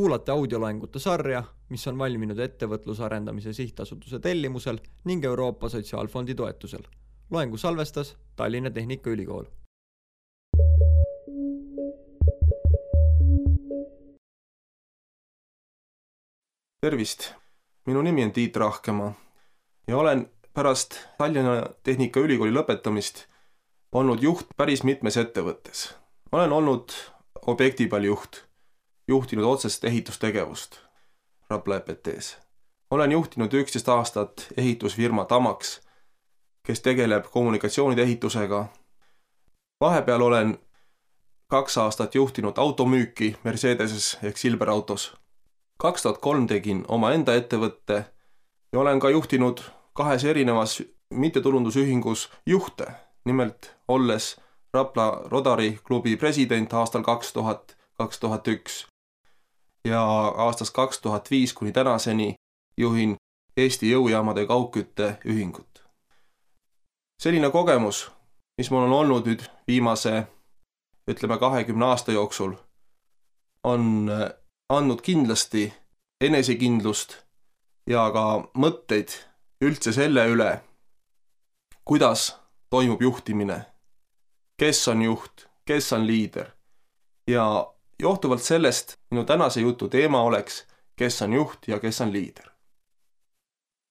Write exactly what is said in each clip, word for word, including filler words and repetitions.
Kuulate audioloengute sarja, mis on valminud ettevõtluse arendamise sihtasutuse tellimusel ning Euroopa Sotsiaalfondi toetusel. Loengu salvestas Tallinna Tehnikaülikool. Tervist! Minu nimi on Tiit Rahkemaa ja olen pärast Tallinna Tehnikaülikooli lõpetamist olnud juht päris mitmes ettevõttes. Olen olnud objektipal juht, juhtinud otsest ehitustegevust Rapla E P T-s. Olen juhtinud üksteist aastat ehitusfirma Tamax, kes tegeleb kommunikatsioonide ehitusega. Vahepeal olen kaks aastat juhtinud automüüki Mercedeses ehk Silver Autos. kaks tuhat kolm tegin oma enda ettevõtte ja olen ka juhtinud kahes erinevas mittetulundusühingus juhte, nimelt olles Rapla Rodari klubi president aastal kaks tuhat, kaks tuhat üks ja aastast kaks tuhat viis kuni tänaseni juhin Eesti jõujaamade kaugkütte ühingut. Selline kogemus, mis mul on olnud nüüd viimase, ütleme kahekümne aasta jooksul, on andnud kindlasti enesekindlust ja ka mõtteid üldse selle üle, kuidas toimub juhtimine, kes on juht, kes on liider. Ja johtuvalt sellest minu tänase jutu teema oleks, kes on juht ja kes on liider.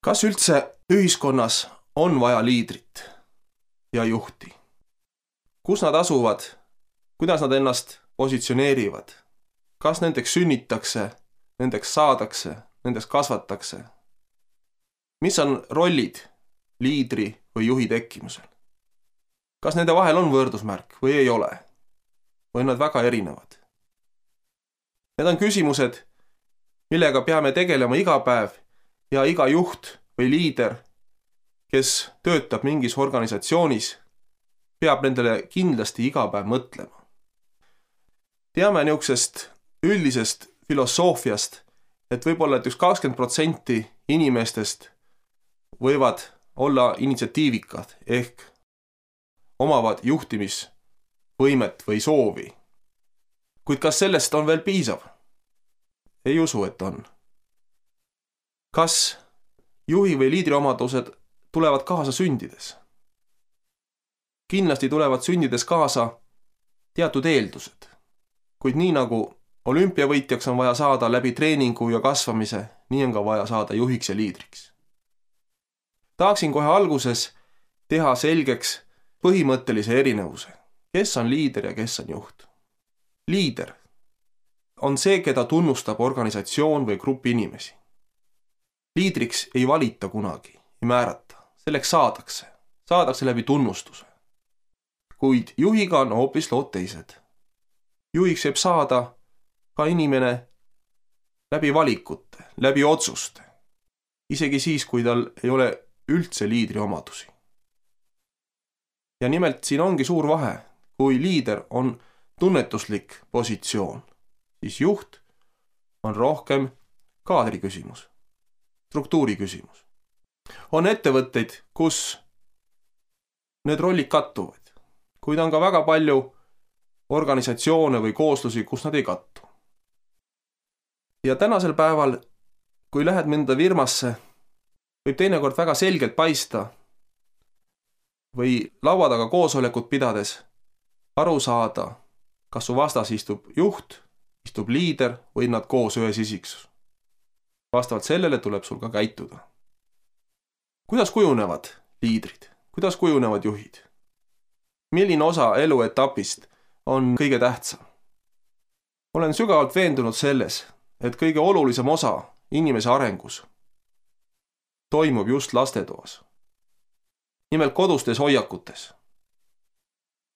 Kas üldse ühiskonnas on vaja liidrit ja juhti? Kus nad asuvad? Kuidas nad ennast positsioneerivad? Kas nendeks sünnitakse, nendeks saadakse, nendeks kasvatakse? Mis on rollid liidri või juhi tekkimusel? Kas nende vahel on võrdusmärk või ei ole? Või nad väga erinevad? Need on küsimused, millega peame tegelema iga päev ja iga juht või liider, kes töötab mingis organisatsioonis, peab nendele kindlasti iga päev mõtlema. Teame niisugusest üldisest filosoofiast, et võib-olla et üks kakskümmend protsenti inimestest võivad olla initsiatiivikad ehk omavad juhtimisvõimet või soovi. Kuid kas sellest on veel piisav? Ei usu, et on. Kas juhi või liidri omadused tulevad kaasa sündides? Kindlasti tulevad sündides kaasa teatud eeldused. Kuid nii nagu olümpiavõitjaks on vaja saada läbi treeningu ja kasvamise, nii on ka vaja saada juhiks ja liidriks. Tahaksin kohe alguses teha selgeks põhimõttelise erinevuse. Kes on liider ja kes on juht? Liider on see, keda tunnustab organisatsioon või grupi inimesi. Liidriks ei valita kunagi, ei määrata. Selleks saadakse. Saadakse läbi tunnustuse. Kuid juhiga on hoopis lood teised. Juhiks võib saada ka inimene läbi valikute, läbi otsuste. Isegi siis, kui tal ei ole üldse liidri omadusi. Ja nimelt siin ongi suur vahe. Kui liider on tunnetuslik positsioon, siis juht on rohkem kaadri küsimus, struktuuri küsimus. On ettevõtteid, kus need rollid kattuvad, kuid on ka väga palju organisatsioone või kooslusi, kus nad ei kattu. Ja tänasel päeval, kui lähed mõnda firmasse, võib teinekord väga selgelt paista või laua taga koosolekut pidades aru saada, kas su vastas istub juht, istub liider või nad koos ühes isiksus. Vastavalt sellele tuleb sul ka käituda. Kuidas kujunevad liidrid? Kuidas kujunevad juhid? Milline osa eluetapist on kõige tähtsam? Olen sügavalt veendunud selles, et kõige olulisem osa inimese arengus toimub just lastetoas. Nimelt kodustes hoiakutes.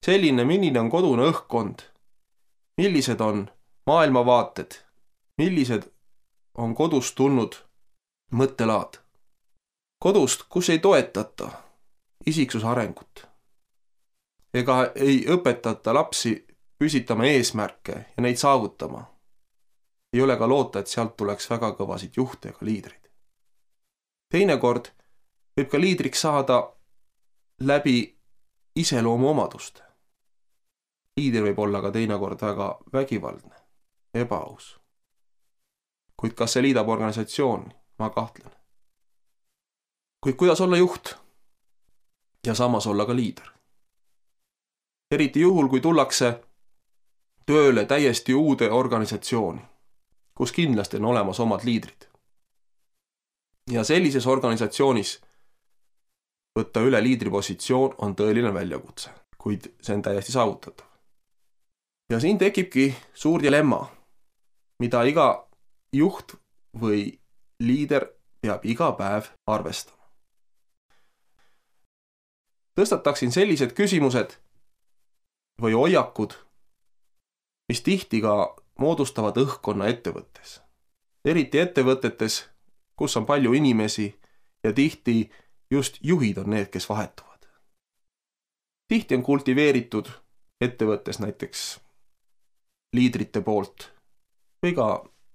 Selline, milline on kodune õhkkond, millised on maailmavaated, millised on kodust tulnud mõttelaad. Kodust, kus ei toetata isiksuse arengut ega ei õpetata lapsi püsitama eesmärke ja neid saavutama. Ei ole ka loota, et sealt tuleks väga kõvasid juhte ega liidrid. Teinekord võib ka liidriks saada läbi iseloomu omaduste. Liider võib olla ka teinekord väga vägivaldne, ebaaus. kuid kas see liidab organisatsiooni, ma kahtlen. Kuid kuidas olla juht ja samas olla ka liider? Eriti juhul, kui tullakse tööle täiesti uude organisatsiooni, kus kindlasti on olemas omad liidrid. Ja sellises organisatsioonis võtta üle liidripositsioon on tõeline väljakutse, kuid see on täiesti saavutatav. Ja siin tekibki suur dilemma, mida iga juht või liider peab iga päev arvestama. Tõstataksin sellised küsimused või hoiakud, mis tihti ka moodustavad õhkkonna ettevõttes. Eriti ettevõtetes, kus on palju inimesi ja tihti just juhid on need, kes vahetuvad. Tihti on kultiveeritud ettevõttes näiteks liidrite poolt või ka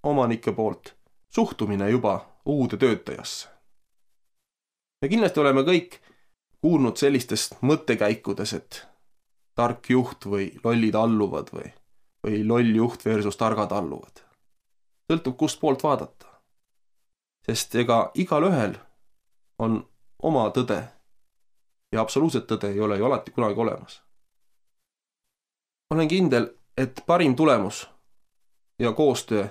omanike poolt suhtumine juba uude töötajasse. Ja kindlasti oleme kõik kuulnud sellistest mõttekäikudes, et tark juht või lollid alluvad või, või loll juht versus targad alluvad. Sõltub kust poolt vaadata. Sest ega igal ühel on oma tõde ja absoluutset tõde ei ole ju alati kunagi olemas. Olen kindel, et parim tulemus ja koostöö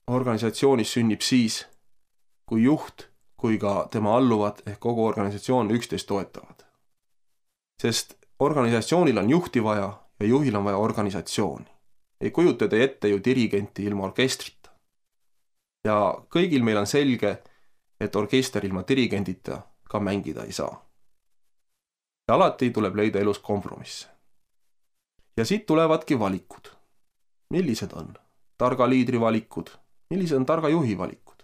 organisatsioonis sünnib siis, kui juht kui ka tema alluvad ehk kogu organisatsioon üksteist toetavad. Sest organisatsioonil on juhti vaja ja juhil on vaja organisatsiooni. Ei kujutada ette ju dirigenti ilma orkestrita. Ja kõigil meil on selge, et orkester ilma dirigendita ka mängida ei saa. Ja alati tuleb leida elus kompromisse. Ja siit tulevadki valikud. Millised on targa liidri valikud? Millised on targa juhi valikud?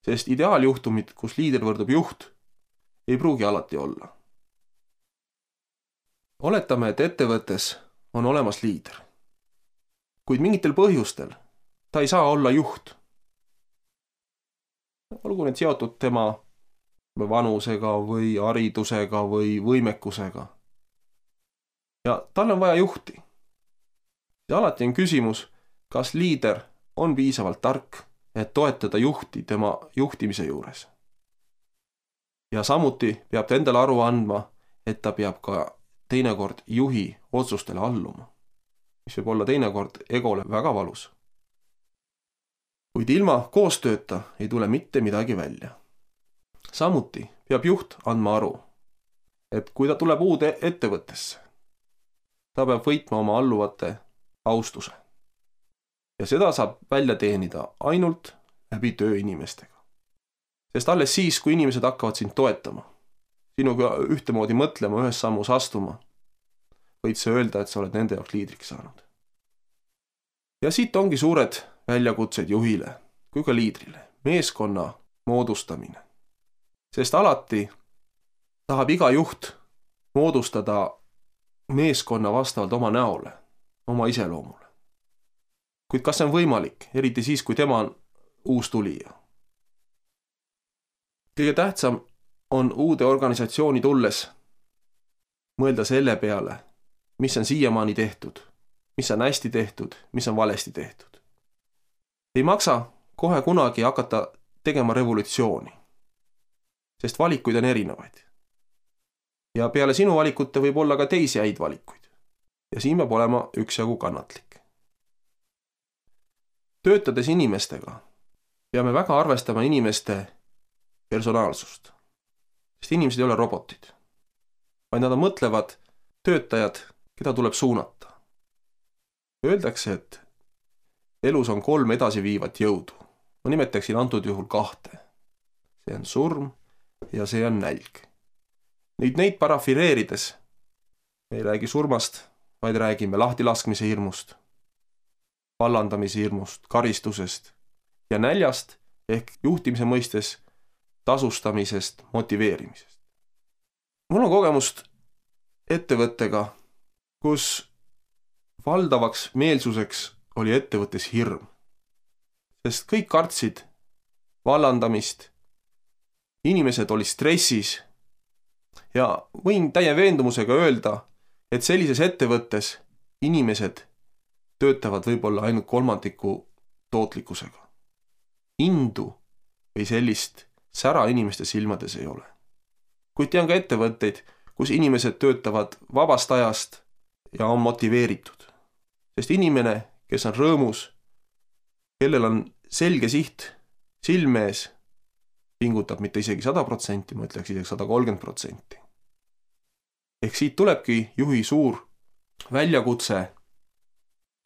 Sest ideaaljuhtumid, kus liider võrdub juht, ei pruugi alati olla. Oletame, et ettevõttes on olemas liider. Kuid mingitel põhjustel ta ei saa olla juht. Olgu need seotud tema vanusega või haridusega või võimekusega. Ja tal on vaja juhti. Ja alati on küsimus, kas liider on piisavalt tark, et toetada juhti tema juhtimise juures. Ja samuti peab ta endale aru andma, et ta peab ka teinekord juhi otsustele alluma, mis võib olla teinekord egole väga valus. Kuid ilma koostööta ei tule mitte midagi välja. Samuti peab juht andma aru, et kui ta tuleb uude ettevõttesse, ta peab võitma oma alluvate austuse. Ja seda saab välja teenida ainult läbi tööinimestega. Sest alles siis, kui inimesed hakkavad sind toetama, sinuga ühtemoodi mõtlema, ühes sammus astuma, võid sa öelda, et sa oled nende jaoks liidriks saanud. Ja siit ongi suured väljakutsed juhile kui ka liidrile, meeskonna moodustamine. Sest alati tahab iga juht moodustada meeskonna vastavalt oma näole, oma iseloomule. Kuid kas see on võimalik, eriti siis, kui tema on uus tulija? Kõige tähtsam on uude organisatsiooni tulles mõelda selle peale, mis on siiamaani tehtud, mis on hästi tehtud, mis on valesti tehtud. Ei maksa kohe kunagi hakata tegema revolutsiooni, sest valikuid on erinevaid. Ja peale sinu valikute võib olla ka teisi häid valikuid. Ja siin peab olema üksjagu kannatlik. Töötades inimestega peame väga arvestama inimeste personaalsust. Sest inimesed ei ole robotid, vaid nad mõtlevad töötajad, keda tuleb suunata. Öeldakse, et elus on kolm edasiviivat jõudu. Ma nimetaksin antud juhul kahte. See on surm ja see on nälg. Nüüd neid parafireerides me ei räägi surmast, vaid räägime lahtilaskmise hirmust, vallandamise hirmust, karistusest ja näljast ehk juhtimise mõistes tasustamisest, motiveerimisest. Mul on kogemust ettevõttega, kus valdavaks meelsuseks oli ettevõttes hirm. Sest kõik kartsid vallandamist, inimesed olid stressis ja võin täie veendumusega öelda, et sellises ettevõttes inimesed töötavad võib-olla ainult kolmandiku tootlikkusega. indu või sellist sära inimeste silmades ei ole. Kuid tean ka ettevõtteid, kus inimesed töötavad vabast ajast ja on motiveeritud. Sest inimene, kes on rõõmus, kellel on selge siht silme ees, pingutab mitte isegi sada protsenti, ma ütleks isegi sada kolmkümmend protsenti. Ehk siit tulebki juhi suur väljakutse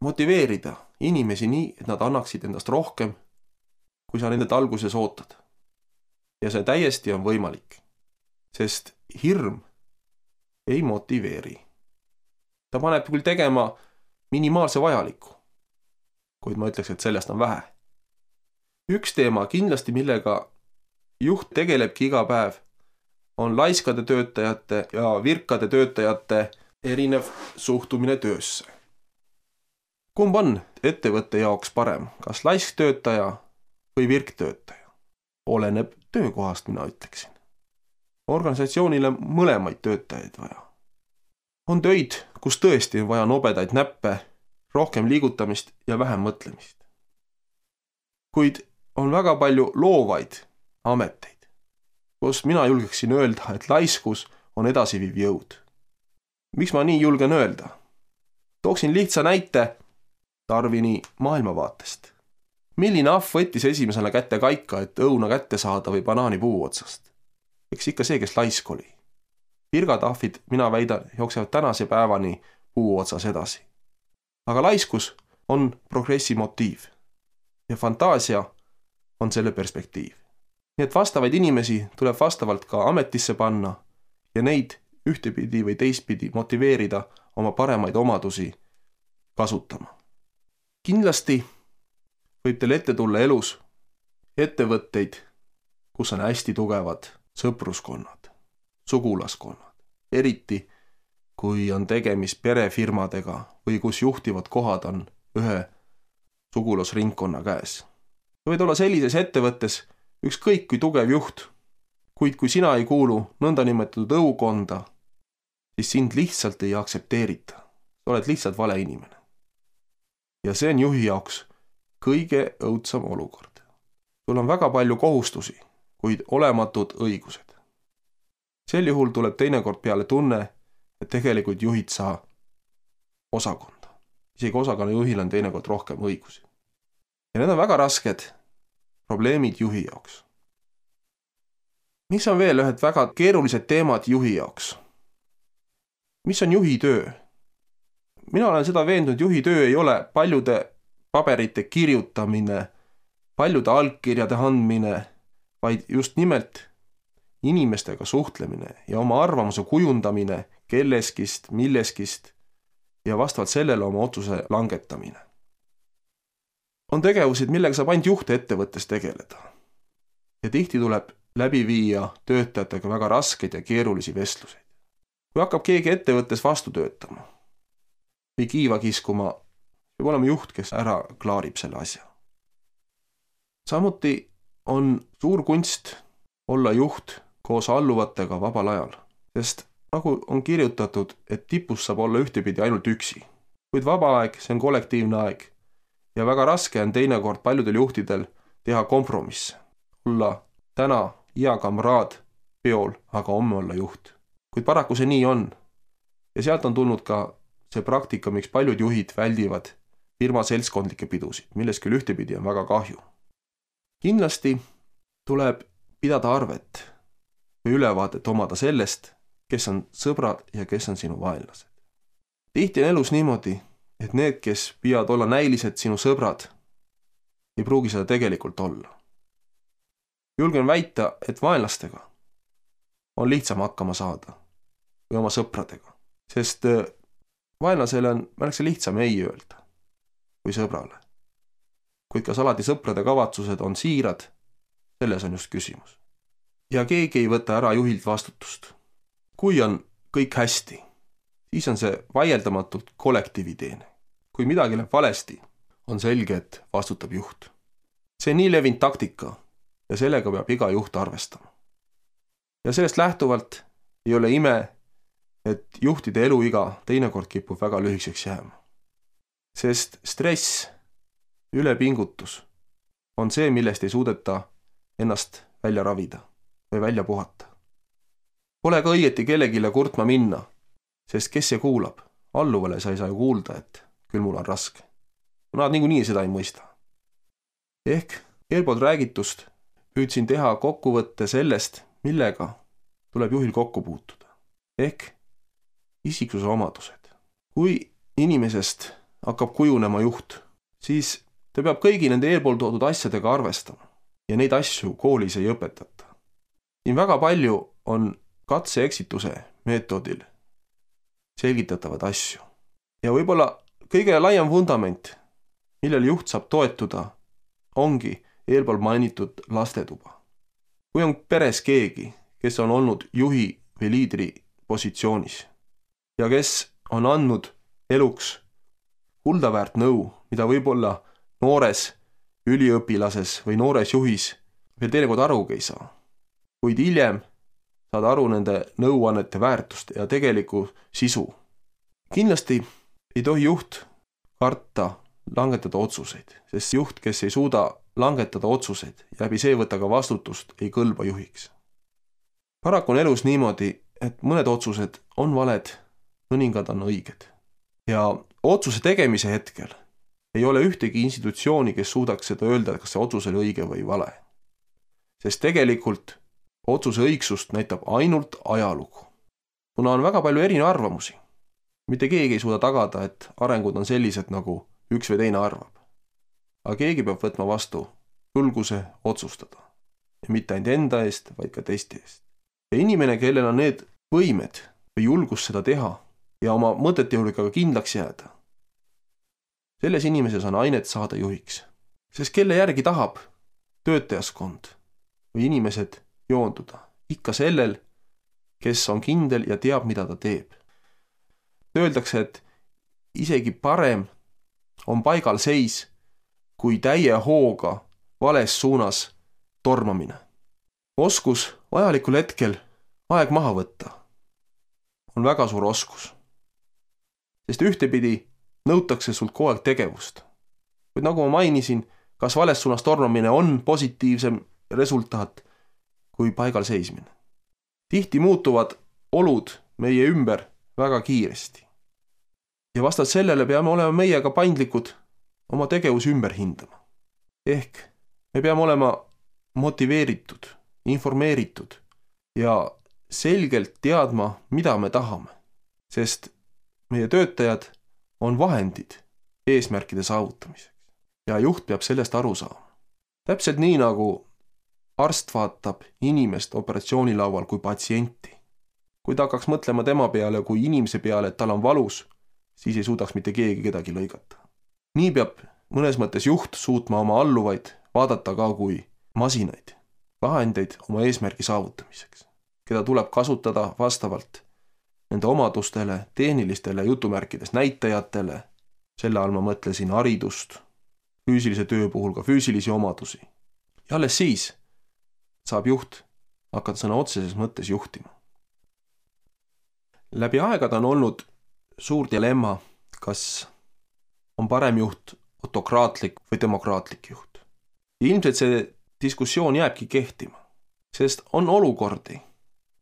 motiveerida inimesi nii, et nad annaksid endast rohkem, kui sa nendelt alguses ootad. Ja see täiesti on võimalik, sest hirm ei motiveeri. Ta paneb küll tegema minimaalse vajaliku, kuid ma ütleks, et sellest on vähe. Üks teema kindlasti, millega juht tegelebki iga päev, on laiskade töötajate ja virkade töötajate erinev suhtumine töösse. Kumb on ettevõtte jaoks parem, kas laisktöötaja või virktöötaja? Oleneb töökohast, mina ütleksin. Organisatsioonile mõlemaid töötajaid vaja. On töid, kus tõesti on vaja nobedaid näppe, rohkem liigutamist ja vähem mõtlemist. Kuid on väga palju loovaid ameteid, kus mina julgeksin öelda, et laiskus on edasiviiv jõud. Miks ma nii julgen öelda? Tooksin lihtsa näite Darwini maailmavaatest. Milline ahv võttis esimesena kätte kaika, et õuna kätte saada või banaani puu otsast? Eks ikka see, kes laisk oli. Virgatahvid, mina väidan, jooksevad tänase päevani puu otsas edasi. Aga laiskus on progressi motiiv ja fantaasia on selle perspektiiv. Nii et vastavaid inimesi tuleb vastavalt ka ametisse panna ja neid ühtepidi või teistpidi motiveerida oma paremaid omadusi kasutama. Kindlasti võib teil ette tulla elus ettevõtteid, kus on hästi tugevad sõpruskonnad, sugulaskonnad, eriti kui on tegemist perefirmadega või kus juhtivad kohad on ühe sugulasringkonna käes. Võid olla sellises ettevõttes ükskõik kui tugev juht, kuid kui sina ei kuulu nõndanimetatud õukonda, siis sind lihtsalt ei aktsepteerita. Sa oled lihtsalt vale inimene. Ja see on juhi jaoks kõige õudsam olukord. Sul on väga palju kohustusi, kuid olematud õigused. Sel juhul tuleb teinekord peale tunne, et tegelikult juhid sa osakonda. Isegi osakonna juhil on teinekord rohkem õigusi. Ja need on väga rasked probleemid juhi jaoks. Mis on veel ühed väga keerulised teemad juhi jaoks? Mis on juhi töö? Mina olen seda veendunud, juhi töö ei ole paljude paberite kirjutamine, paljude allkirjade andmine, vaid just nimelt inimestega suhtlemine ja oma arvamuse kujundamine kelleskist, milleskist ja vastavalt sellele oma otsuse langetamine. On tegevusid, millega saab ainult juht ettevõttes tegeleda. Ja tihti tuleb läbi viia töötajatega väga raskeid ja keerulisi vestluseid. Kui hakkab keegi ettevõttes vastu töötama või kiiva kiskuma, peab olema juht, kes ära klaarib selle asja. Samuti on suur kunst olla juht koos alluvatega vabal ajal, sest nagu on kirjutatud, et tipus saab olla ühtepidi ainult üksi. Kuid vaba aeg, see on kollektiivne aeg ja väga raske on teinekord paljudel juhtidel teha kompromisse. Olla täna hea kamraad peol, aga homme olla juht. Kuid paraku see nii on. Ja sealt on tulnud ka see praktika, miks paljud juhid väldivad firma seltskondlikke pidusid, milles küll ühtepidi on väga kahju. Kindlasti tuleb pidada arvet või ülevaadet omada sellest, kes on sõbrad ja kes on sinu vaenlased. Tihti on elus niimoodi, et need, kes püüavad olla näilised sinu sõbrad, ei pruugi seda tegelikult olla. Julgen väita, et vaenlastega on lihtsam hakkama saada või oma sõpradega, sest vaenlasele on märksa lihtsam ei öelda kui sõbrale. Kuid kas alati sõprade kavatsused on siirad, selles on just küsimus. Ja keegi ei võta ära juhilt vastutust. Kui on kõik hästi, siis on see vaieldamatult kollektiiviteene. Kui midagi läheb valesti, on selge, et vastutab juht. See on nii levinud taktika ja sellega peab iga juht arvestama. Ja sellest lähtuvalt ei ole ime, et juhtide eluiga teinekord kipub väga lühikeseks jääma. Sest stress, ülepingutus on see, millest ei suudeta ennast välja ravida või välja puhata. Pole ka õieti kellegile kurtma minna, sest kes see kuulab? Alluvale sa ei saa ju kuulda, et küll mul on raske. Nad niikuinii seda ei mõista. Ehk eelpool räägitust püüdsin teha kokkuvõtte sellest, millega tuleb juhil kokku puutuda. Ehk isiksuse omadused. Kui inimesest hakkab kujunema juht, siis ta peab kõigi nende eelpool toodud asjadega arvestama ja neid asju koolis ei õpetata. Siin väga palju on katse-eksituse meetodil selgitatavad asju. Ja võib-olla kõige laiem fundament, millel juht saab toetuda, ongi eelpool mainitud lastetuba. Kui on peres keegi, kes on olnud juhi või liidri positsioonis ja kes on andnud eluks kuldaväärt nõu, mida võib-olla noores üliõpilases või noores juhis veel teinekord arugi ei saa, kuid hiljem saad aru nende nõuannete väärtust ja tegeliku sisu. Kindlasti ei tohi juht karta langetada otsuseid, sest juht, kes ei suuda langetada otsuseid ja läbi see võtta ka vastutust, ei kõlba juhiks. Paraku on elus niimoodi, et mõned otsused on valed, mõningad on õiged. Ja otsuse tegemise hetkel ei ole ühtegi institutsiooni, kes suudaks seda öelda, kas see otsus oli õige või vale. Sest tegelikult otsuse õigsust näitab ainult ajalugu. Kuna on väga palju erine arvamusi, mitte keegi ei suuda tagada, et arengud on sellised, nagu üks või teine arvab. Aga keegi peab võtma vastu julguse otsustada. Ja mitte ainult enda eest, vaid ka teiste eest. Ja inimene, kellel on need võimed või julgus seda teha ja oma mõtete juurde ka kindlaks jääda, selles inimeses on ainet saada juhiks. Sest kelle järgi tahab töötajaskond või inimesed joonduda? Ikka sellel, kes on kindel ja teab, mida ta teeb. Öeldakse, et isegi parem on paigal seis, kui täie hooga vales suunas tormamine. Oskus vajalikul hetkel aeg maha võtta on väga suur oskus. Sest ühtepidi nõutakse sult kogu aeg tegevust. Kuid nagu ma mainisin, kas vales suunas tormamine on positiivsem resultaat kui paigal seismine. Tihti muutuvad olud meie ümber väga kiiresti. Ja vastavalt sellele peame olema meiega paindlikud oma tegevus ümber hindama. Ehk me peame olema motiveeritud, informeeritud ja selgelt teadma, mida me tahame. Sest meie töötajad on vahendid eesmärkide saavutamiseks. Ja juht peab sellest aru saama. Täpselt nii, nagu arst vaatab inimest operatsioonilaual kui patsienti. Kui ta hakkaks mõtlema tema peale kui inimese peale, et tal on valus, siis ei suudaks mitte keegi kedagi lõigata. Nii peab mõnes mõttes juht suutma oma alluvaid vaadata ka kui masinaid, vahendeid oma eesmärgi saavutamiseks, keda tuleb kasutada vastavalt nende omadustele, tehnilistele jutumärkides näitajatele, selle all ma mõtlesin haridust, füüsilise töö puhul ka füüsilisi omadusi. Ja alles siis saab juht hakata sõna otseses mõttes juhtima. Läbi aegad on olnud suur dilemma, kas on parem juht autokraatlik või demokraatlik juht. Ja ilmselt see diskussioon jääbki kehtima, sest on olukordi,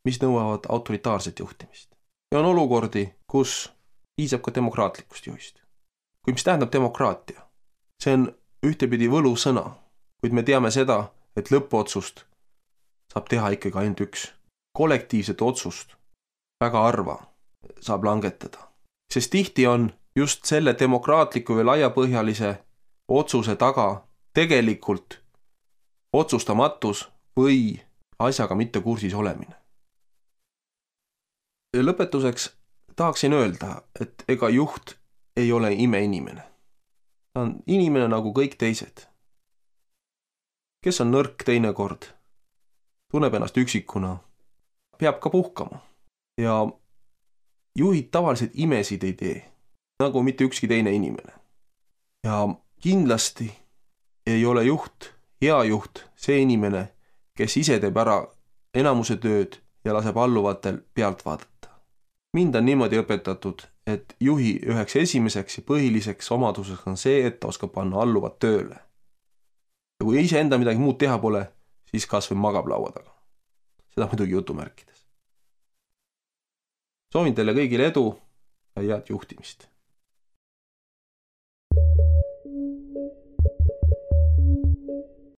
mis nõuavad autoritaarset juhtimist. Ja on olukordi, kus piisab ka demokraatlikust juhist. Kui mis tähendab demokraatia? See on ühtepidi võlusõna, kuid me teame seda, et lõppotsust saab teha ikkagi ainult üks. Kollektiivset otsust väga harva saab langetada. Sest tihti on just selle demokraatliku või laiapõhjalise otsuse taga tegelikult otsustamatus või asjaga mitte kursis olemine. Ja lõpetuseks tahaksin öelda, et ega juht ei ole imeinimene. Ta on inimene nagu kõik teised. Kes on nõrk teinekord, tunneb ennast üksikuna, peab ka puhkama. Ja juhid tavaliselt imesid ei tee, nagu mitte ükski teine inimene. Ja kindlasti ei ole juht, hea juht, see inimene, kes ise teeb ära enamuse tööd ja laseb alluvatel pealt vaadata. Mind on niimoodi õpetatud, et juhi üheks esimeseks ja põhiliseks omaduseks on see, et ta oskab panna alluvad tööle. Ja kui ise enda midagi muud teha pole, siis kas või magab laua taga. Seda muidugi jutumärkides. Soovin teile kõigile edu ja head juhtimist.